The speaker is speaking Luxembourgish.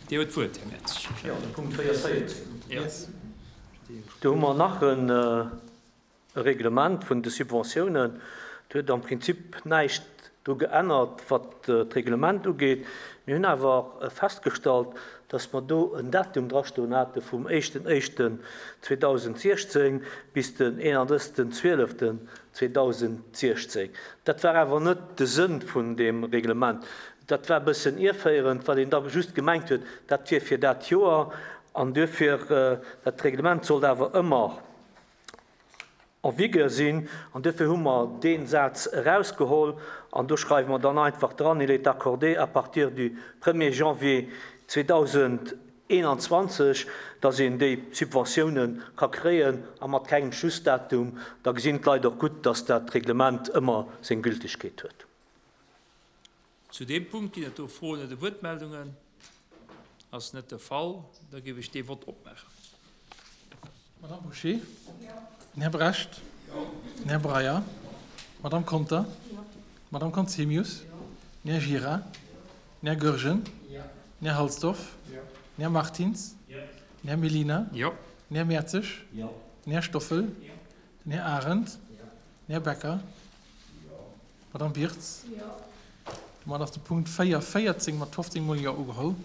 Dir hutt d'Wuert, Här Mertzig. Jo, de Punkt 4,14. Do hu mer nach e Reglement vun de Subventiounen. Do huet am Prinzip näischt dru geännert, wat d'Reglement ugeet. Mir hunn awer festgestallt, dass mer do en Datum drastoen hate vum éischten éischten 2016 bis den 31. zwieleften 2016. Dat war awer net de Sënn vun deem Reglement. Dat war e bëssen ierféierend, well een da just gemengt huet, dat wier fir dat Joer. An duerfir, dat Reglement sollt awer ëmmer en vigueur sinn. An duerfir hu mer dee Saz erausgeholl an do schreiwe mer dann einfach dran, Il est accordé à partir du premier janvier 2021, dass een déi Subventiounen ka kréien a mat kengem Schlussdatum. Da gesinn d'Leit och gutt, dass dat Reglement ëmmer seng Gültegkeet huet. Zu deem Punkt ginn et do Froen oder Wuertmeldungen? Ass net de Fall. Da géif ech dee Vott opmaachen. Madamm Bouché? Den Här Brecht? Den Här Breyer? Madamm Conter? Madamm Conzemius? Den Här Gira? Den Här Goergen? Den Här Halsdorf? Den Här Martins? Den Här Mellina? Den Här Mertzig? Den Här Stoffel? Den Här Arendt? Den Här Becker? Madamm Birtz. Domat ass de Punkt 4, 14 mat 15 mol Jo ugeholl.